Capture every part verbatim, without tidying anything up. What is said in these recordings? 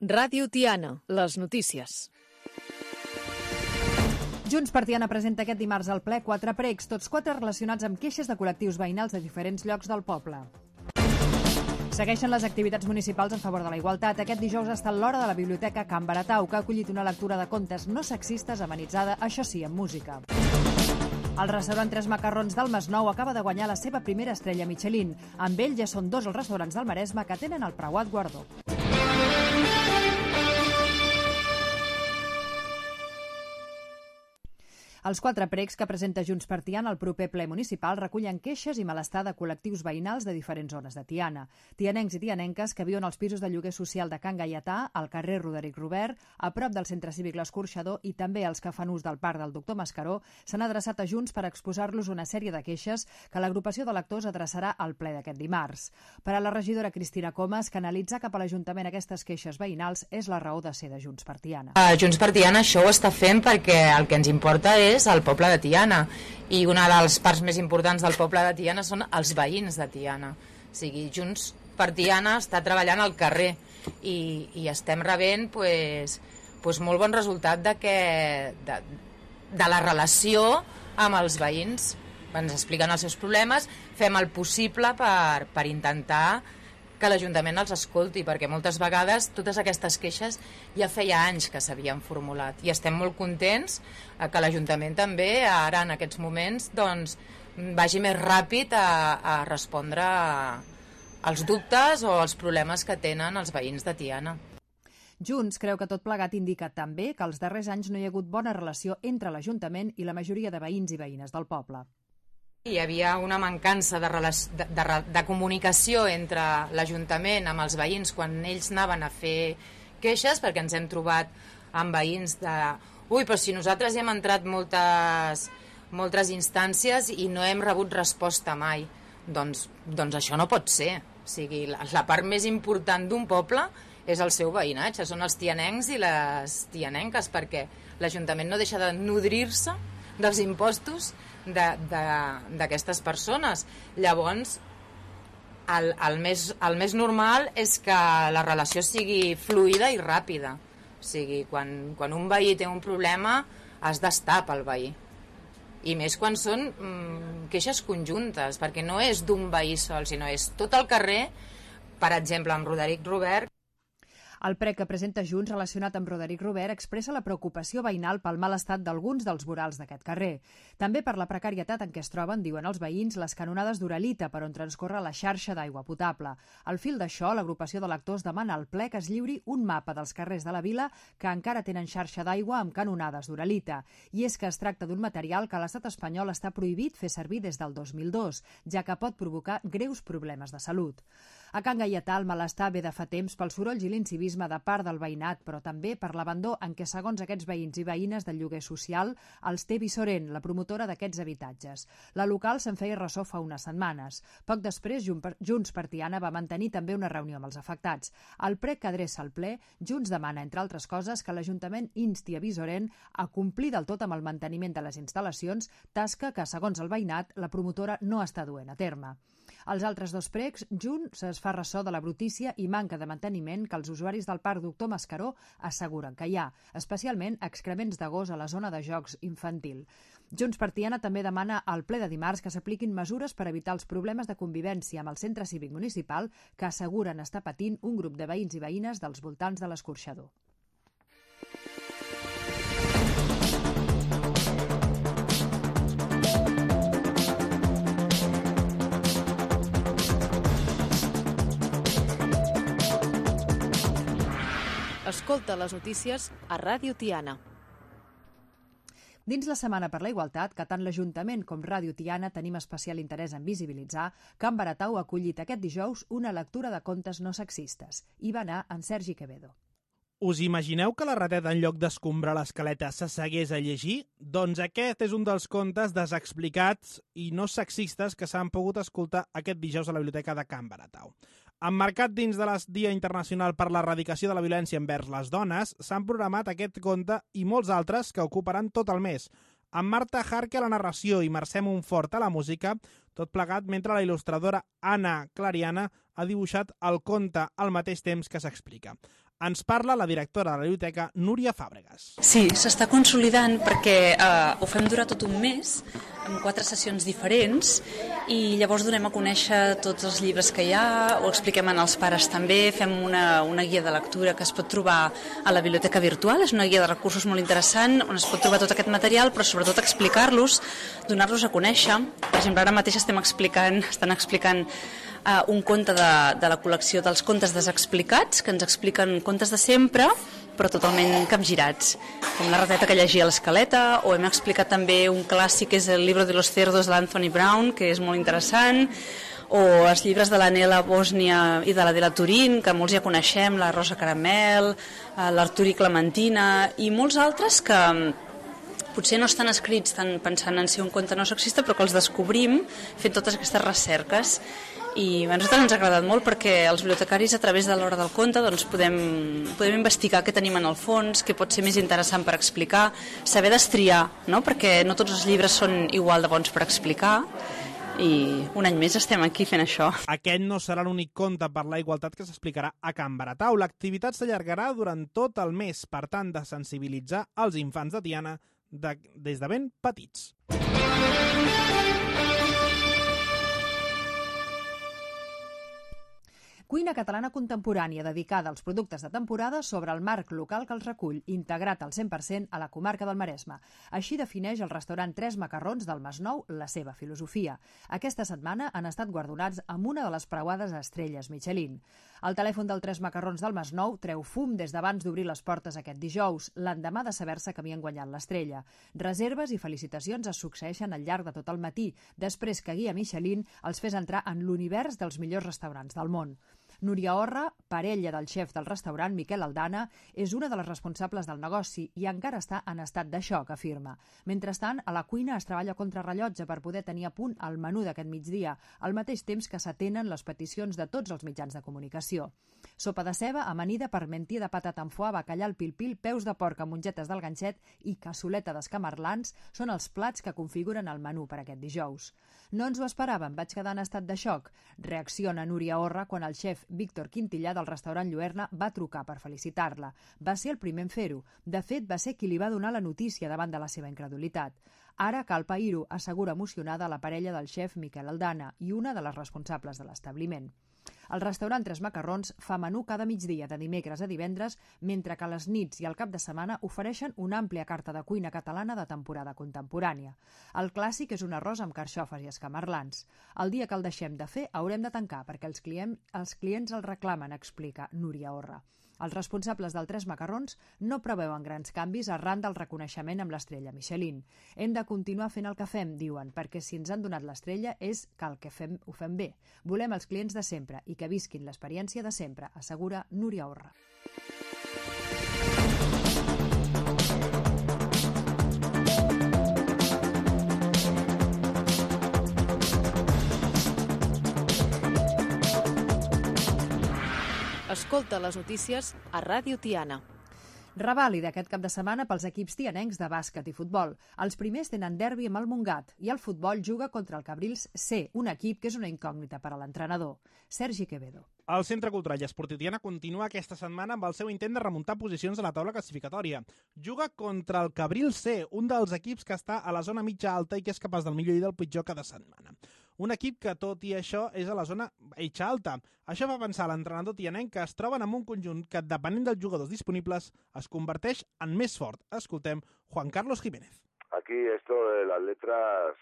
Ràdio Tiana, les notícies. Junts per Tiana presenta aquest dimarts al ple quatre pregs, tots quatre relacionats amb queixes de col·lectius veïnals de diferents llocs del poble. Segueixen les activitats municipals en favor de la igualtat. Aquest dijous ha estat l'hora de la Biblioteca Can Baratau, que ha acollit una lectura de contes no sexistes amenitzada, això sí, amb música. El restaurant Tres Macarrons del Masnou acaba de guanyar la seva primera estrella Michelin. Amb ell ja són dos els restaurants del Maresme que tenen el preuat guardó. Els quatre pregs que presenta Junts per Tiana al proper ple municipal recullen queixes i malestar de col·lectius veïnals de diferents zones de Tiana. Tianencs i tianenques que viuen als pisos de lloguer social de Can Gaietà, al carrer Roderic Robert, a prop del centre cívic L'Escorxador, i també els que fan ús del parc del doctor Mascaró, s'han adreçat a Junts per exposar-los una sèrie de queixes que l'agrupació de lectors adreçarà al ple d'aquest dimarts. Per a la regidora Cristina Comas, canalitzar cap a l'Ajuntament aquestes queixes veïnals és la raó de ser de Junts per Tiana. Uh, Junts per Tiana això ho està fent perquè el que ens importa és és el poble de Tiana, i una de les parts més importants del poble de Tiana són els veïns de Tiana. O sigui, Junts per Tiana està treballant al carrer i, i estem rebent pues, pues molt bon resultat de, que, de, de la relació amb els veïns. Ens expliquen els seus problemes, fem el possible per, per intentar que l'Ajuntament els escolti, perquè moltes vegades totes aquestes queixes ja feia anys que s'havien formulat i estem molt contents que l'Ajuntament també ara en aquests moments doncs, vagi més ràpid a, a respondre als dubtes o als problemes que tenen els veïns de Tiana. Junts creu que tot plegat indica també que els darrers anys no hi ha hagut bona relació entre l'Ajuntament i la majoria de veïns i veïnes del poble. Hi havia una mancança de, de, de, de comunicació entre l'Ajuntament amb els veïns quan ells anaven a fer queixes, perquè ens hem trobat amb veïns de ui, però si nosaltres hem entrat moltes, moltes instàncies i no hem rebut resposta mai. Doncs, doncs això no pot ser. O sigui, la, la part més important d'un poble és el seu veïnatge, són els tianencs i les tianenques, perquè l'Ajuntament no deixa de nodrir-se dels impostos d'aquestes persones. Llavors el, el, més, el més normal és que la relació sigui fluida i ràpida. O sigui, quan, quan un veí té un problema has d'estar pel veí, i més quan són mm, queixes conjuntes, perquè no és d'un veí sol, sinó és tot el carrer. Per exemple, amb Roderic Robert, el prec que presenta Junts relacionat amb Roderic Robert expressa la preocupació veïnal pel mal estat d'alguns dels vorals d'aquest carrer. També per la precarietat en què es troben, diuen els veïns, les canonades d'Uralita per on transcorre la xarxa d'aigua potable. Al fil d'això, l'agrupació de lectors demana al ple que es lliuri un mapa dels carrers de la vila que encara tenen xarxa d'aigua amb canonades d'Uralita. I és que es tracta d'un material que l'estat espanyol està prohibit fer servir des del dos mil dos, ja que pot provocar greus problemes de salut. A Can Gaietà el malestar ve de fa temps pels sorolls i l'incivisme de part del veïnat, però també per l'abandó en què, segons aquests veïns i veïnes del lloguer social, els té Vissorent, la promotora d'aquests habitatges. La local se'n feia ressò fa unes setmanes. Poc després, Junts per Tiana va mantenir també una reunió amb els afectats. Al prec que adreça al ple, Junts demana, entre altres coses, que l'Ajuntament insti a Vissorent a complir del tot amb el manteniment de les instal·lacions, tasca que, segons el veïnat, la promotora no està duent a terme. Els altres dos precs, Junts es fa ressò de la brutícia i manca de manteniment que els usuaris del parc doctor Mascaró asseguren que hi ha, especialment excrements de gos a la zona de jocs infantil. Junts per Tiana també demana al ple de dimarts que s'apliquin mesures per evitar els problemes de convivència amb el centre cívic municipal que asseguren estar patint un grup de veïns i veïnes dels voltants de l'Escorxador. Escolta les notícies a Ràdio Tiana. Dins la Setmana per la Igualtat, que tant l'Ajuntament com Ràdio Tiana tenim especial interès en visibilitzar, Can Baratau ha acollit aquest dijous una lectura de contes no sexistes. Hi va anar en Sergi Quevedo. Us imagineu que la rateta, en lloc d'escombrar l'escaleta, s'assegués a llegir? Doncs aquest és un dels contes desexplicats i no sexistes que s'han pogut escoltar aquest dijous a la Biblioteca de Can Baratau. Emmarcat dins de el Dia Internacional per l'Erradicació de la Violència envers les Dones, s'han programat aquest conte i molts altres que ocuparan tot el mes. Amb Marta Jarque a la narració i Mercè Montfort a la música, tot plegat mentre la il·lustradora Anna Clariana ha dibuixat el conte al mateix temps que s'explica. Ens parla la directora de la biblioteca, Núria Fàbregas. Sí, s'està consolidant perquè eh, ho fem durar tot un mes, amb quatre sessions diferents, i llavors donem a conèixer tots els llibres que hi ha, ho expliquem als pares també, fem una, una guia de lectura que es pot trobar a la biblioteca virtual, és una guia de recursos molt interessant, on es pot trobar tot aquest material, però sobretot explicar-los, donar-los a conèixer. Per exemple, ara mateix estem explicant, estan explicant Uh, un conte de, de la col·lecció dels contes desexplicats, que ens expliquen contes de sempre, però totalment capgirats, com La rateta que llegia l'escaleta, o hem explicat també un clàssic que és El libro de los cerdos de l'Anthony Brown, que és molt interessant, o els llibres de l'Anela Bòsnia i de l'Adela Turín, que molts ja coneixem, La Rosa Caramel, uh, l'Artur i Clementina, i molts altres que potser no estan escrits tan pensant en si un conte no sexista, però que els descobrim fent totes aquestes recerques. I a nosaltres ens ha agradat molt perquè els bibliotecaris a través de l'hora del conte doncs, podem, podem investigar què tenim en el fons, què pot ser més interessant per explicar, saber destriar, no? Perquè no tots els llibres són igual de bons per explicar, i un any més estem aquí fent això. Aquest no serà l'únic conte per la igualtat que s'explicarà a Can Baratau. L'activitat s'allargarà durant tot el mes, per tant, de sensibilitzar els infants de Tiana de, des de ben petits. Cuina catalana contemporània dedicada als productes de temporada sobre el marc local que els recull, integrat al cent per cent a la comarca del Maresme. Així defineix el restaurant Tres Macarrons del Masnou la seva filosofia. Aquesta setmana han estat guardonats amb una de les preuades estrelles Michelin. El telèfon del Tres Macarrons del Masnou treu fum des d'abans d'obrir les portes aquest dijous, l'endemà de saber-se que havien guanyat l'estrella. Reserves i felicitacions es succeeixen al llarg de tot el matí, després que Guia Michelin els fes entrar en l'univers dels millors restaurants del món. Núria Orra, parella del xef del restaurant Miquel Aldana, és una de les responsables del negoci i encara està en estat de xoc, afirma. Mentrestant, a la cuina es treballa contra rellotge per poder tenir a punt el menú d'aquest migdia, al mateix temps que s'atenen les peticions de tots els mitjans de comunicació. Sopa de ceba, amanida, parmentier de patata amb foie, bacallà al pil-pil, peus de porc amb mongetes del ganxet i cassoleta d'escamarlans són els plats que configuren el menú per aquest dijous. No ens ho esperàvem, vaig quedar en estat de xoc. Reacciona Núria Orra quan el xef Víctor Quintillà del restaurant Lluerna va trucar per felicitar-la. Va ser el primer en fer-ho. De fet, va ser qui li va donar la notícia davant de la seva incredulitat. Ara cal pair-ho, assegura emocionada la parella del xef Miquel Aldana i una de les responsables de l'establiment. El restaurant Tres Macarrons fa menú cada migdia de dimecres a divendres, mentre que a les nits i al cap de setmana ofereixen una àmplia carta de cuina catalana de temporada contemporània. El clàssic és un arròs amb carxofes i escamarlans. El dia que el deixem de fer haurem de tancar perquè els clients, els clients el reclamen, explica Núria Orra. Els responsables del Tres Macarrons no preveuen grans canvis arran del reconeixement amb l'estrella Michelin. Hem de continuar fent el que fem, diuen, perquè si ens han donat l'estrella és que el que fem ho fem bé. Volem els clients de sempre i que visquin l'experiència de sempre, assegura Núria Orra. Escolta les notícies a Ràdio Tiana. Revàlida aquest cap de setmana pels equips tianencs de bàsquet i futbol. Els primers tenen derbi amb el Montgat i el futbol juga contra el Cabrils C, un equip que és una incògnita per a l'entrenador. Sergi Quevedo. El Centre Cultural i Esportiu Tiana continua aquesta setmana amb el seu intent de remuntar posicions a la taula classificatòria. Juga contra el Cabrils C, un dels equips que està a la zona mitja alta i que és capaç del millor i del pitjor cada setmana. Un equip que, tot i això, és a la zona mitja alta. Això fa pensar a l'entrenador tianenc que es troben amb un conjunt que, depenent dels jugadors disponibles, es converteix en més fort. Escoltem Juan Carlos Jiménez. Aquí esto de las letras,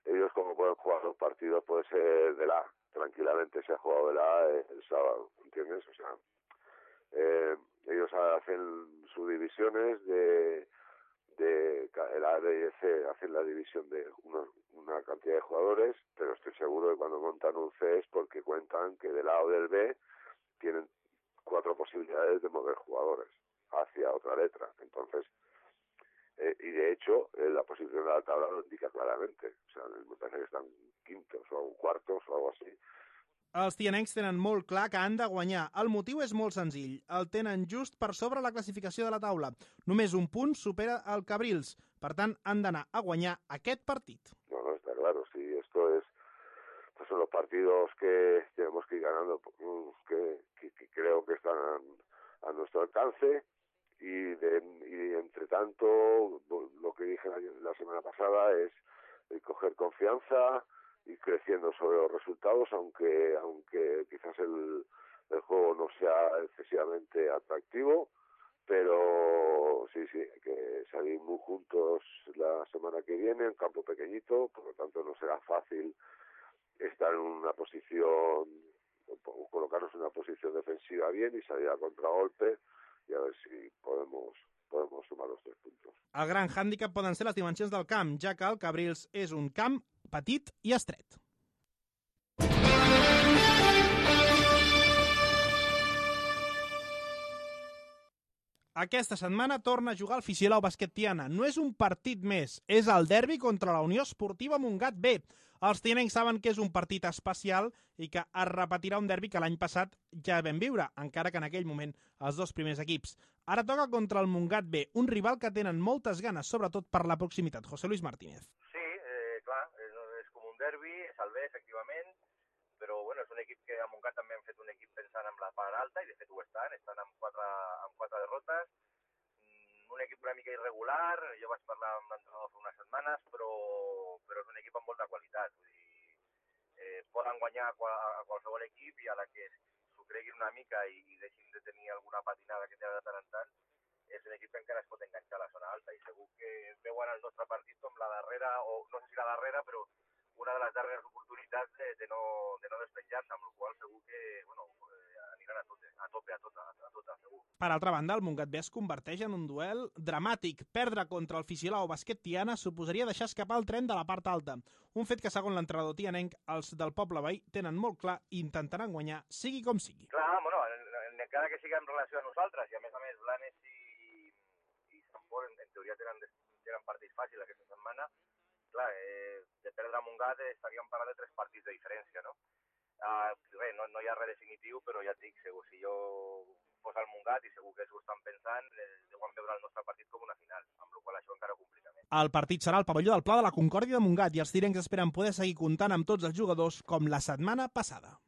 ellos como pueden jugar los partidos, puede ser de la tranquilamente se ha jugado de la el sábado, ¿entiendes? O sea, eh, ellos hacen sus divisiones de, de el A, B y C, hacen la división de unos, una cantidad de jugadores, pero estoy seguro que cuando montan un C es porque cuentan que del A o del B tienen cuatro posibilidades de mover jugadores hacia otra letra. Entonces, eh, y de hecho, eh, la posición de la tabla lo indica claramente. O sea, me parece que están quintos o cuartos o algo así. Els tianencs tenen molt clar que han de guanyar. El motiu és molt senzill. El tenen just per sobre la classificació de la taula. Només un punt supera el Cabrils. Per tant, han d'anar a guanyar aquest partit. No, no, está claro. Sí, esto es... Pues son los partidos que tenemos que ir ganando, que, que, que creo que están a nuestro alcance y, de, y entre tanto lo que dije la, la semana pasada es el coger confianza, ir creciendo sobre los resultados, aunque aunque quizás el, el juego no sea excesivamente atractivo, pero sí, sí, hay que salir muy juntos la semana que viene, en campo pequeñito, por lo tanto no será fácil estar en una posición, colocarnos en una posición defensiva bien y salir a contragolpe i a veure si podemos, podemos sumar els tres puntos. El gran hàndicap poden ser les dimensions del camp, ja que el Cabrils és un camp petit i estret. Aquesta setmana torna a jugar el Fisilau Bàsquet Tiana. No és un partit més, és el derbi contra la Unió Esportiva Montgat B. Els tianencs saben que és un partit especial i que es repetirà un derbi que l'any passat ja vam viure, encara que en aquell moment els dos primers equips. Ara toca contra el Montgat B, un rival que tenen moltes ganes, sobretot per la proximitat. José Luis Martínez. Sí, eh, clar, és, és com un derbi, és el B, efectivament, però bueno, és un equip que a Montgat també han fet un equip pensant en la part alta, i de fet ho estan, estan amb quatre, amb quatre derrotes, un equip una mica irregular, jo vaig parlar amb l'entrenador fa unes setmanes, però, però és un equip amb molta qualitat, vull dir, eh, poden guanyar a, qual, a qualsevol equip i a la que s'ho creguin una mica i, i deixin de tenir alguna patinada que té de tant en tant, és un equip que encara es pot enganxar a la zona alta i segur que veuen el nostre partit com la darrera, o no sé si la darrera, però una de les darreres oportunitats de, de no, de no despenjar-se, amb la qual segur que bueno, aniran a tope, a tope, a tota, a tota, segur. Per altra banda, el Montgat B es converteix en un duel dramàtic. Perdre contra el Fisilau Bàsquet Tiana suposaria deixar escapar el tren de la part alta. Un fet que, segons l'entrenador tianenc, els del poble veí tenen molt clar i intentaran guanyar, sigui com sigui. Clar, bueno, encara que sigui en relació a nosaltres, i a més a més Blanes i, i Sant Pol en, en teoria tenen, tenen partits fàcils aquesta setmana, clar, eh, de perdre a Montgat estaríem parlant de tres partits de diferència, no? Uh, bé, no, no hi ha res definitiu, però ja et dic, segur, si jo fos al Montgat i segur que s'ho estan pensant, eh, deuen veure el nostre partit com una final, amb la qual això encara ho complica més. El partit serà al pavelló del Pla de la Concòrdia de Montgat i els tirencs esperen poder seguir comptant amb tots els jugadors com la setmana passada.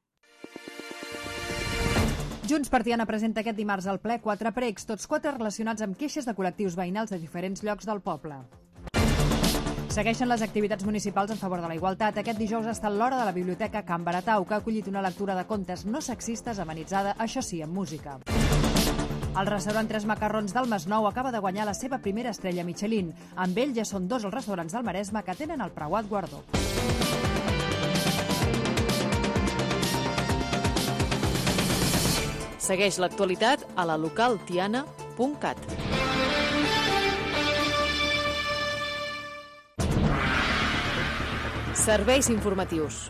Junts per Tiana presenta aquest dimarts al ple quatre pregs, tots quatre relacionats amb queixes de col·lectius veïnals de diferents llocs del poble. Segueixen les activitats municipals en favor de la igualtat. Aquest dijous ha estat l'hora de la Biblioteca Can Baratau, que ha acollit una lectura de contes no sexistes amenitzada, això sí, amb música. El restaurant Tres Macarrons del Masnou acaba de guanyar la seva primera estrella Michelin. Amb ell ja són dos els restaurants del Maresme que tenen el preuat guardó. Segueix l'actualitat a la local tiana punt cat. Serveis informatius.